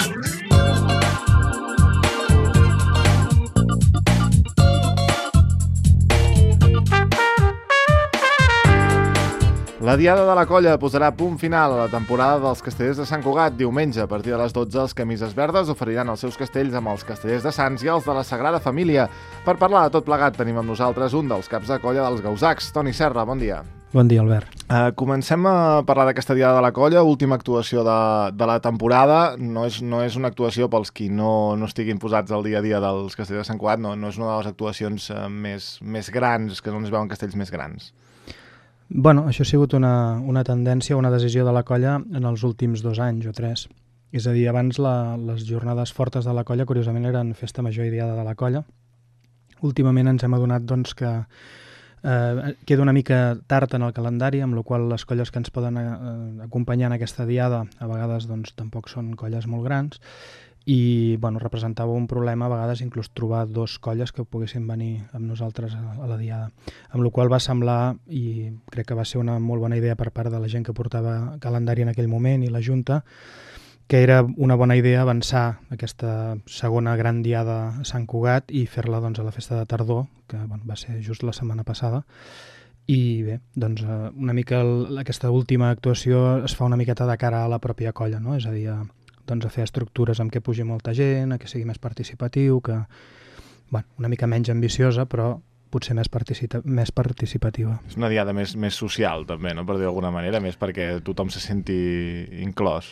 La Diada de la Colla posarà punt final a la temporada dels Castellers de Sant Cugat. Diumenge, a partir de les 12, els Camises Verdes oferiran els seus castells amb els Castellers de Sants i els de la Sagrada Família. Per parlar de tot plegat, tenim amb nosaltres un dels caps de colla dels Gausacs, Toni Serra. Bon dia. Bon dia, Albert. Comencem a parlar d'aquesta Diada de la Colla, última actuació de la temporada. No és una actuació pels qui no estiguin posats al dia a dia dels Castellers de Sant Cugat, no és una de les actuacions més grans, que no es veuen castells més grans. Bueno, això ha sigut una tendència, una decisió de la colla en els últims 2 anys o 3. És a dir, abans les jornades fortes de la colla, curiosament, eren festa major i diada de la colla. Últimament ens hem adonat doncs, que queda una mica tard en el calendari, amb la qual les colles que ens poden acompanyar en aquesta diada a vegades doncs, tampoc són colles molt grans, i bueno, representava un problema a vegades inclús trobar 2 colles que poguessin venir amb nosaltres a la diada, amb la qual va semblar, i crec que va ser una molt bona idea per part de la gent que portava calendari en aquell moment i la Junta, que era una bona idea avançar aquesta segona gran diada a Sant Cugat i fer-la doncs, a la festa de tardor, que bueno, va ser just la setmana passada. I bé, doncs una mica aquesta última actuació es fa una miqueta de cara a la pròpia colla, no? És a dir, doncs a fer estructures amb què pugi molta gent, que sigui més participatiu, que bueno, una mica menys ambiciosa, però potser més participativa. És una diada més social, també, no? Per dir d'alguna manera, més perquè tothom se senti inclòs.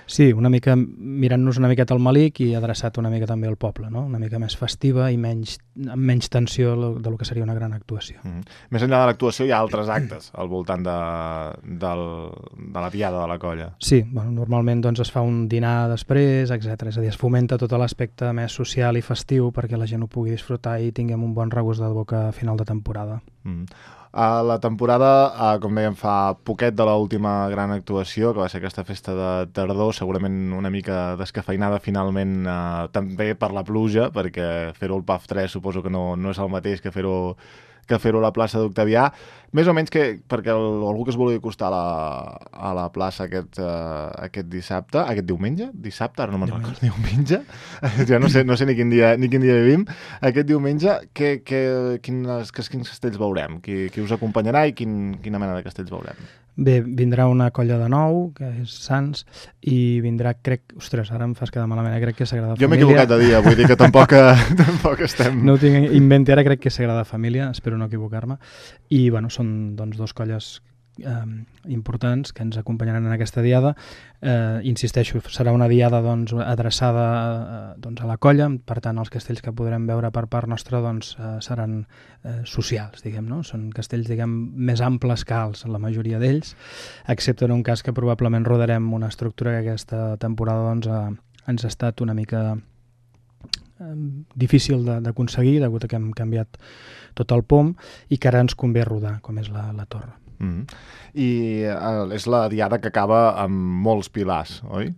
Sí, una mica mirant-nos una miqueta al malic i adreçat una mica també al poble, no? Una mica més festiva i amb menys tensió del que seria una gran actuació. Més enllà de l'actuació hi ha altres actes al voltant de la diada de la colla. Sí, bueno, normalment doncs, es fa un dinar després, etc. És a dir, es fomenta tot l'aspecte més social i festiu perquè la gent ho pugui disfrutar i tinguem un bon regust de boca a final de temporada. La temporada, com dèiem, fa poquet de l'última gran actuació, que va ser aquesta festa de tardor, segurament una mica descafeinada finalment també per la pluja, perquè fer-ho al PAF 3 suposo que no és el mateix que fer-ho a la plaça d'Octavià. Més o menys perquè algú que es vulgui acostar a la plaça aquest dissabte, aquest diumenge? Dissabte? Ara no me'n recordo. Diumenge? Ja no sé ni quin dia vivim. Aquest diumenge, quins castells veurem? Qui us acompanyarà i quina mena de castells veurem? Bé, vindrà una colla de nou, que és Sants, i vindrà, ostres, ara em fas quedar malament, crec que és Sagrada Família. Jo m'he equivocat de dia, vull dir que tampoc estem... No ho tinc inventi, ara crec que és Sagrada Família, espero no equivocar-me, i bueno, són doncs 2 colles importants que ens acompanyaran en aquesta diada. Insisteixo, serà una diada doncs, adreçada doncs, a la colla, per tant els castells que podrem veure per part nostra doncs, seran socials, diguem, no? Són castells més amples que alts, la majoria d'ells, excepte en un cas que probablement rodarem una estructura que aquesta temporada doncs, ens ha estat una mica difícil d'aconseguir, degut a que hem canviat tot el POM i que ara ens convé rodar, com és la torre. I és la diada que acaba amb molts pilars, oi?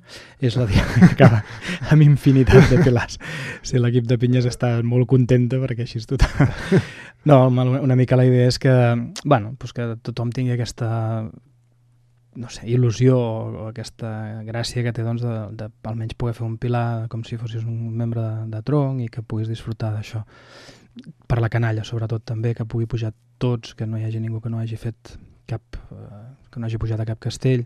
És la diada que acaba amb infinitat de pilars. Sí, l'equip de pinyes està molt contenta perquè així és total. No, una mica la idea és que, bueno, doncs que tothom tingui aquesta no sé, il·lusió o aquesta gràcia que té doncs, de almenys poder fer un pilar com si fossis un membre de tronc i que puguis disfrutar d'això. Per la canalla, sobretot, també, que pugui pujar tots, que no hi hagi ningú que no hagi fet que no hagi pujat a cap castell,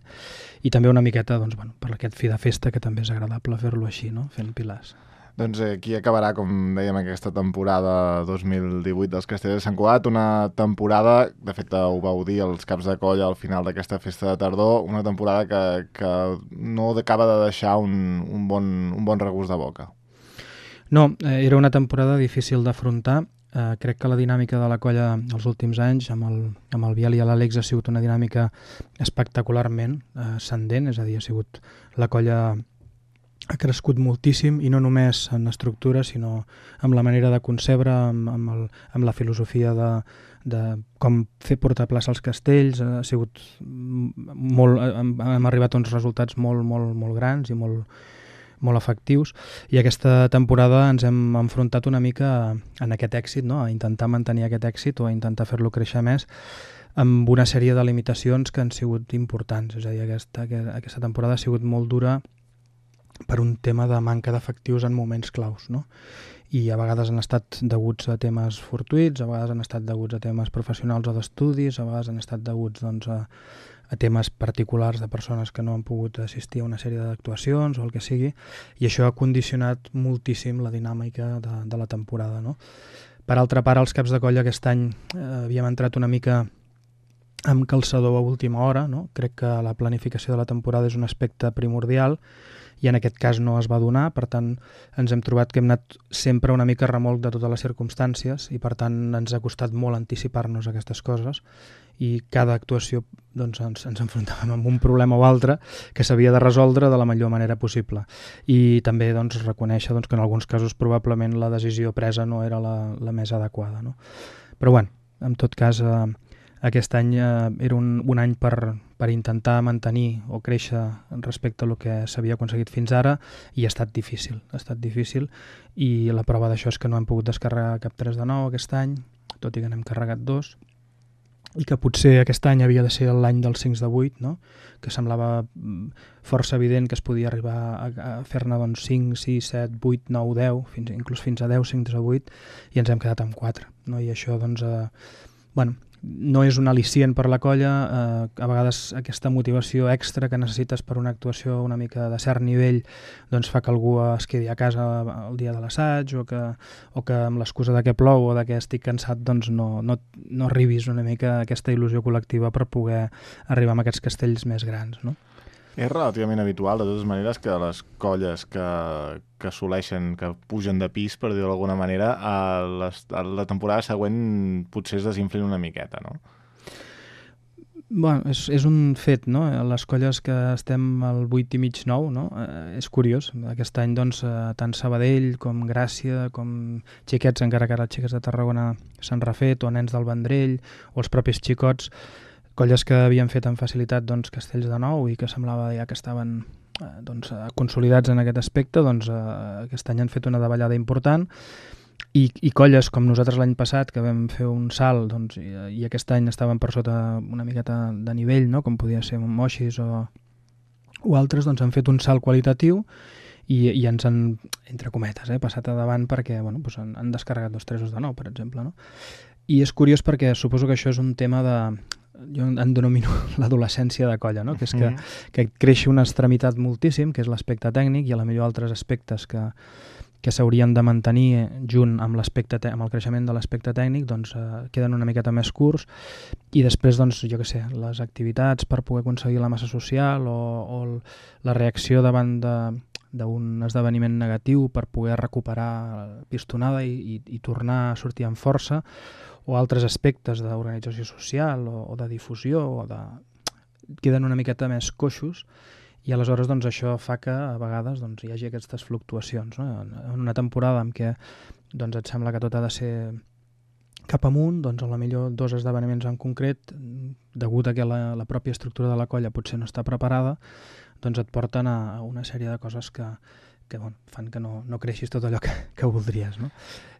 i també una miqueta doncs, bueno, per aquest fi de festa, que també és agradable fer-lo així, no? Fent pilars. Doncs aquí acabarà, com dèiem, aquesta temporada 2018 dels Castellers de Sant Cugat, una temporada, de fet ho vau dir els caps de colla al final d'aquesta festa de tardor, una temporada que no acaba de deixar un bon regust de boca. No, era una temporada difícil d'afrontar. Crec que la dinàmica de la colla els últims anys amb el Biel i l'Àlex ha sigut una dinàmica espectacularment ascendent, és a dir, ha sigut la colla ha crescut moltíssim, i no només en estructura, sinó amb la manera de concebre, amb la filosofia de com fer portar plaça als castells. Ha sigut molt, hem arribat a uns resultats molt grans i molt efectius, i aquesta temporada ens hem enfrontat una mica en aquest èxit, no? A intentar mantenir aquest èxit o a intentar fer-lo créixer més amb una sèrie de limitacions que han sigut importants. És a dir, aquesta temporada ha sigut molt dura per un tema de manca d'efectius en moments claus, no? I a vegades han estat deguts a temes fortuïts, a vegades han estat deguts a temes professionals o d'estudis, a vegades han estat deguts doncs, a temes particulars de persones que no han pogut assistir a una sèrie d'actuacions o el que sigui, i això ha condicionat moltíssim la dinàmica de la temporada, no? Per altra part, als caps de colla aquest any havíem entrat una mica amb calçador a última hora, no? Crec que la planificació de la temporada és un aspecte primordial i en aquest cas no es va donar, per tant ens hem trobat que hem anat sempre una mica a remolc de totes les circumstàncies i per tant ens ha costat molt anticipar-nos a aquestes coses i cada actuació doncs, ens enfrontàvem amb un problema o altre que s'havia de resoldre de la millor manera possible i també doncs, reconèixer doncs, que en alguns casos probablement la decisió presa no era la més adequada, no? Però bueno, en tot cas aquest any era un any per intentar mantenir o créixer respecte a el que s'havia aconseguit fins ara i ha estat difícil i la prova d'això és que no hem pogut descarregar cap 3 de 9 aquest any, tot i que n'hem carregat 2 i que potser aquest any havia de ser l'any dels 5 de 8, no? Que semblava força evident que es podia arribar a fer-ne doncs, 5, 6, 7, 8, 9, 10, inclús fins a 10, 5 de 8 i ens hem quedat amb 4, no? I això doncs, no és un al·licient per la colla, a vegades aquesta motivació extra que necessites per una actuació una mica de cert nivell doncs fa que algú es quedi a casa el dia de l'assaig o que amb l'excusa de que plou o de que estic cansat doncs no arribis una mica a aquesta il·lusió col·lectiva per poder arribar a aquests castells més grans, no? És relativament habitual, de totes maneres, que les colles que assoleixen, que pugen de pis, per dir-ho d'alguna manera, a la temporada següent potser es desinflin una miqueta, no? Bueno, és un fet, no? Les colles que estem al 8 i mig 9, no? És curiós. Aquest any, doncs, tant Sabadell com Gràcia, com xiquets, encara que ara els xiquets de Tarragona s'han refet, o nens del Vendrell, o els propis xicots, colles que havien fet amb facilitat doncs, castells de nou i que semblava ja que estaven doncs, consolidats en aquest aspecte, doncs, aquest any han fet una davallada important i colles com nosaltres l'any passat que vam fer un salt doncs, i aquest any estaven per sota una miqueta de nivell, no? Com podia ser Moixis o altres, doncs han fet un salt qualitatiu i ens han, entre cometes, passat a davant perquè bueno, doncs han descarregat 2 3 de 9, per exemple, no? I és curiós perquè suposo que això és un tema de... Jo en denomino l'adolescència de colla, no? Que és que creixi una extremitat moltíssim, que és l'aspecte tècnic, i a la millor altres aspectes que s'haurien de mantenir junt amb amb el creixement de l'aspecte tècnic, doncs queden una miqueta més curts, i després, doncs, jo què sé, les activitats per poder aconseguir la massa social o la reacció davant d'un esdeveniment negatiu per poder recuperar pistonada i tornar a sortir amb força, o altres aspectes d'organització social o de difusió queden una miqueta més coixos i aleshores doncs, això fa que a vegades doncs, hi hagi aquestes fluctuacions, no? En una temporada en què doncs, et sembla que tot ha de ser cap amunt, doncs a la millor 2 esdeveniments en concret, degut a que la pròpia estructura de la colla potser no està preparada, doncs et porten a una sèrie de coses que bueno, fan que no creixis tot allò que voldries, no?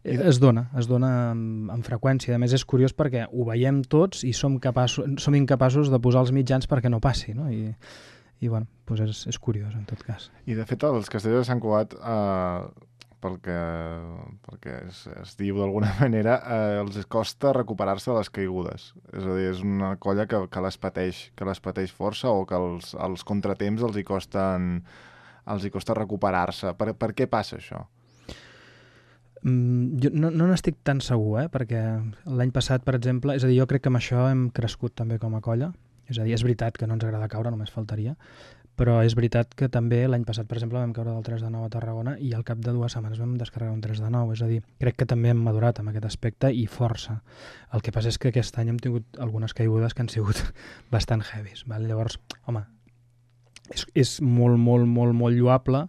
Es dona amb freqüència. A més, és curiós perquè ho veiem tots i som incapaços de posar els mitjans perquè no passi, no? I bueno, doncs és curiós, en tot cas. I, de fet, els castells de Sant Cugat, perquè es diu d'alguna manera, els costa recuperar-se de les caigudes. És a dir, és una colla que les pateix força o que els contratemps els hi costa recuperar-se. Per què passa això? Jo no n'estic tan segur, perquè l'any passat, per exemple, és a dir, jo crec que amb això hem crescut també com a colla. És a dir, és veritat que no ens agrada caure, només faltaria, però és veritat que també l'any passat, per exemple, vam caure del 3 de 9 a Tarragona i al cap de 2 setmanes vam descarregar un 3 de 9. És a dir, crec que també hem madurat amb aquest aspecte i força. El que passa és que aquest any hem tingut algunes caigudes que han sigut bastant heavies. Val? Llavors, home, és molt, molt, molt, molt lloable,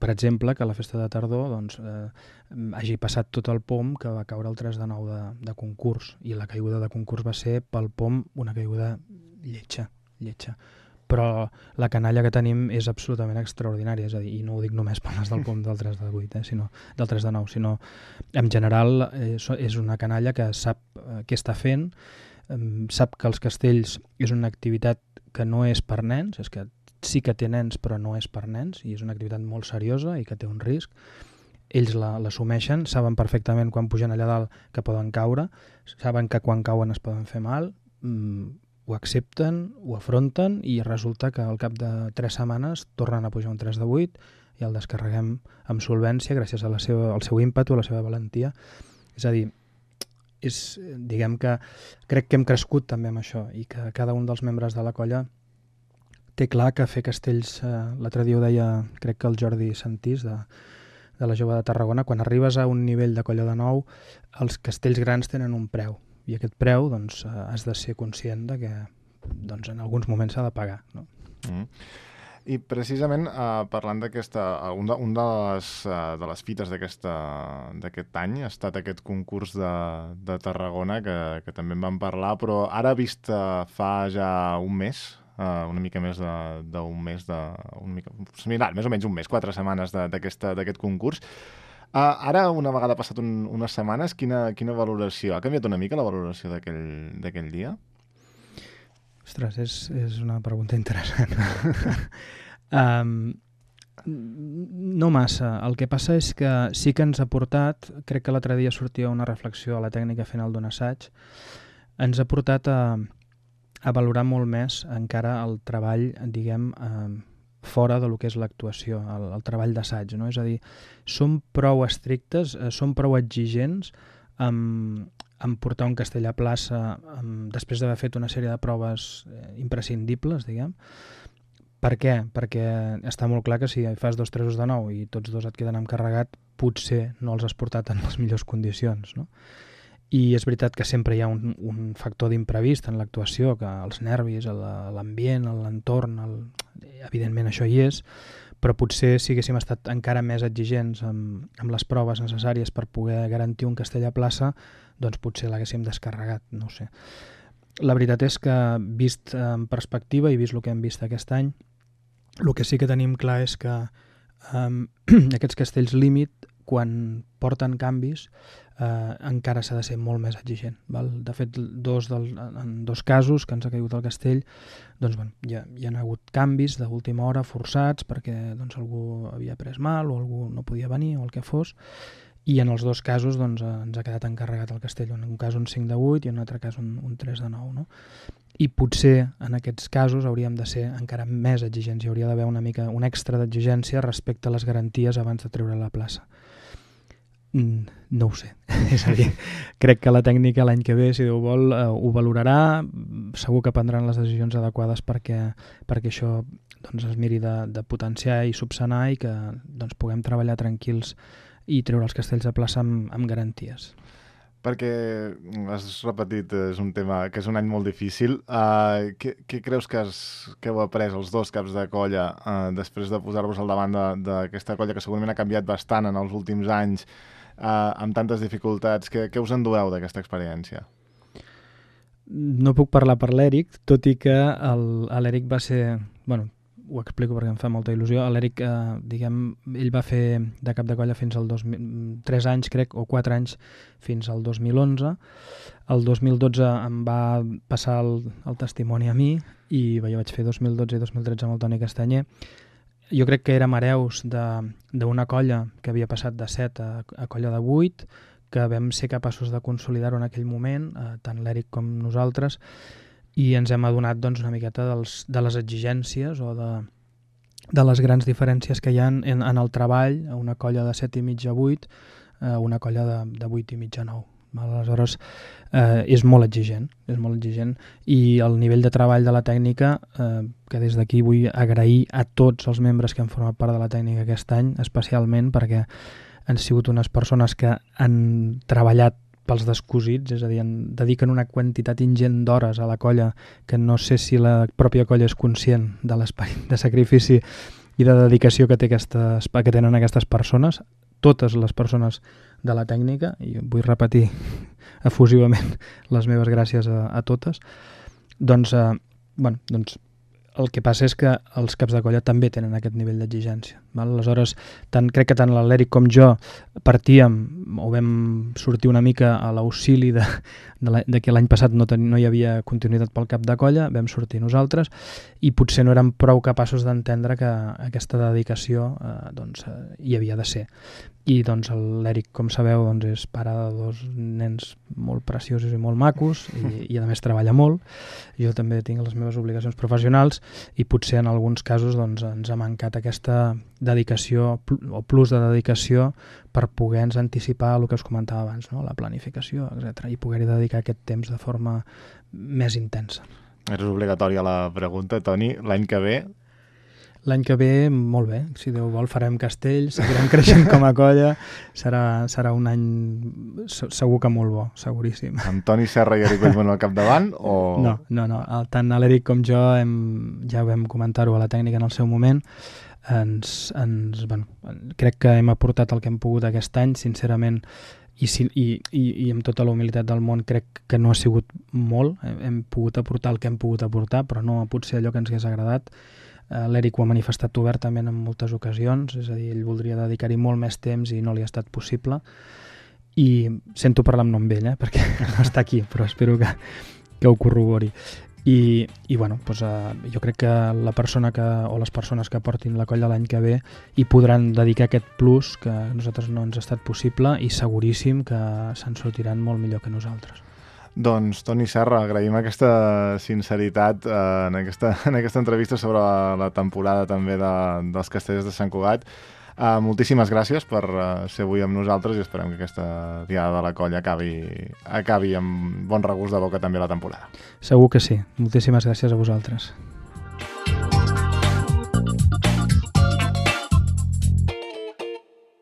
per exemple, que la festa de tardor doncs, hagi passat tot el POM que va caure el 3 de 9 de concurs, i la caiguda de concurs va ser pel POM una caiguda lletja. Però la canalla que tenim és absolutament extraordinària, és a dir, i no ho dic només per les del POM del 3 de 8, sinó del 3 de 9, sinó en general és una canalla que sap què està fent, sap que els castells és una activitat que no és per nens, és que sí que té nens però no és per nens i és una activitat molt seriosa i que té un risc. Ells l'assumeixen, saben perfectament quan pugen allà dalt que poden caure, saben que quan cauen es poden fer mal, ho accepten, ho afronten i resulta que al cap de 3 setmanes tornen a pujar un 3 de 8 i el descarreguem amb solvència gràcies al seu ímpetu, a la seva valentia. És a dir, diguem que crec que hem crescut també amb això i que cada un dels membres de la colla té clar que fer castells, l'altre dia ho deia, crec que el Jordi Santís de la Jove de Tarragona, quan arribes a un nivell de colla de nou, els castells grans tenen un preu i aquest preu doncs, has de ser conscient de que doncs, en alguns moments s'ha de pagar. No? I precisament parlant d'aquesta, un de les fites d'aquest any ha estat aquest concurs de Tarragona que també en vam parlar, però ara vist fa ja un mes, una mica més d'un mes, més o menys un mes, 4 setmanes d'aquest concurs. Ara, una vegada passat unes setmanes, quina valoració? Ha canviat una mica la valoració d'aquell dia? Ostres, és una pregunta interessant. No massa. El que passa és que sí que ens ha portat, crec que l'altre dia sortia una reflexió a la tècnica final d'un assaig, ens ha portat a valorar molt més encara el treball, diguem, fora de lo que és l'actuació, el treball d'assaig, no? És a dir, som prou estrictes, som prou exigents en portar un castell a plaça després d'haver fet una sèrie de proves imprescindibles, diguem. Per què? Perquè està molt clar que si fas 2 3 de 9 i tots dos et queden encarregat, potser no els has portat en les millors condicions, no? I és veritat que sempre hi ha un factor d'imprevist en l'actuació, que els nervis, l'ambient, l'entorn, evidentment això hi és, però potser si haguéssim estat encara més exigents amb les proves necessàries per poder garantir un castell a plaça, doncs potser l'haguéssim descarregat, no ho sé. La veritat és que, vist en perspectiva i vist el que hem vist aquest any, el que sí que tenim clar és que aquests castells límit, quan porten canvis, encara s'ha de ser molt més exigent. Val? De fet, en 2 casos que ens ha caigut el castell, doncs, bueno, hi ha hagut canvis d'última hora forçats perquè doncs, algú havia pres mal o algú no podia venir o el que fos, i en els 2 casos doncs, ens ha quedat encarregat el castell, en un cas un 5 de 8 i en un altre cas un 3 de 9. No? I potser en aquests casos hauríem de ser encara més exigents, hi hauria d'haver una mica un extra d'exigència respecte a les garanties abans de treure la plaça. No ho sé, és a dir, crec que la tècnica l'any que ve, si Déu vol, ho valorarà, segur que prendran les decisions adequades perquè això doncs, es miri de potenciar i subsanar i que doncs, puguem treballar tranquils i treure els castells de plaça amb garanties. Perquè has repetit, és un tema que és un any molt difícil. Què creus que heu après els 2 caps de colla després de posar-vos al davant d'aquesta colla que segurament ha canviat bastant en els últims anys, amb tantes dificultats? Què us endueu d'aquesta experiència? No puc parlar per l'Eric, tot i que l'Eric va ser... Bueno, ho explico perquè em fa molta il·lusió. L'Eric, diguem, ell va fer de cap de colla fins al 3 anys, crec, o 4 anys, fins al 2011. El 2012 em va passar el testimoni a mi i jo vaig fer 2012 i 2013 amb el Toni Castanyer. Jo crec que érem hereus d'una colla que havia passat de 7 a colla de 8, que vam ser capaços de consolidar-ho en aquell moment, tant l'Eric com nosaltres, i ens hem adonat doncs, una miqueta de les exigències o de les grans diferències que hi ha en el treball, a una colla de 7 i mig a 8, a una colla de 8 i mig a 9. Aleshores, és molt exigent i el nivell de treball de la tècnica, que des d'aquí vull agrair a tots els membres que han format part de la tècnica aquest any, especialment perquè han sigut unes persones que han treballat pels descosits, és a dir, dediquen una quantitat ingent d'hores a la colla que no sé si la pròpia colla és conscient de l'esperit de sacrifici i de dedicació que tenen aquestes persones, totes les persones de la tècnica, i vull repetir efusivament les meves gràcies a totes. Doncs El que passa és que els caps de colla també tenen aquest nivell d'exigència. Aleshores, crec que tant l'Eric com jo partíem o vam sortir una mica a l'auxili de que l'any passat no hi havia continuïtat pel cap de colla, vam sortir nosaltres i potser no érem prou capaços d'entendre que aquesta dedicació hi havia de ser. I l'Eric, com sabeu, és pare de 2 nens molt preciosos i molt macos i a més treballa molt. Jo també tinc les meves obligacions professionals i potser en alguns casos ens ha mancat aquesta dedicació o plus de dedicació per poder-nos anticipar el que us comentava abans, no? La planificació, etc. I poder-hi dedicar aquest temps de forma més intensa. És obligatòria la pregunta, Toni. L'any que ve? L'any que ve, molt bé. Si Déu vol, farem castell, seguirem creixent com a colla. Serà un any segur que molt bo, seguríssim. Amb Toni Serra i Eric Bellmunt al capdavant? O... No. Tant l'Eric com jo ja vam comentar-ho a la tècnica en el seu moment. Crec que hem aportat el que hem pogut aquest any, sincerament, i amb tota la humilitat del món crec que no ha sigut molt. Hem pogut aportar el que hem pogut aportar, però no potser allò que ens hagués agradat. L'Eric ho ha manifestat obertament en moltes ocasions, és a dir, ell voldria dedicar-hi molt més temps i no li ha estat possible. I sento parlar amb nom d'ell, perquè no està aquí, però espero que ho corrobori. I jo crec que la persona o les persones que portin la colla l'any que ve hi podran dedicar aquest plus que a nosaltres no ens ha estat possible i seguríssim que se'n sortiran molt millor que nosaltres. Doncs, Toni Serra, agraïm aquesta sinceritat en aquesta entrevista sobre la temporada també dels Castellers de Sant Cugat. Moltíssimes gràcies per ser avui amb nosaltres i esperem que aquesta diada de la colla acabi amb bon regust de boca també la temporada. Segur que sí. Moltíssimes gràcies a vosaltres.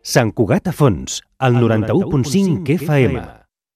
Sant Cugat a fons, al 91.5 FM.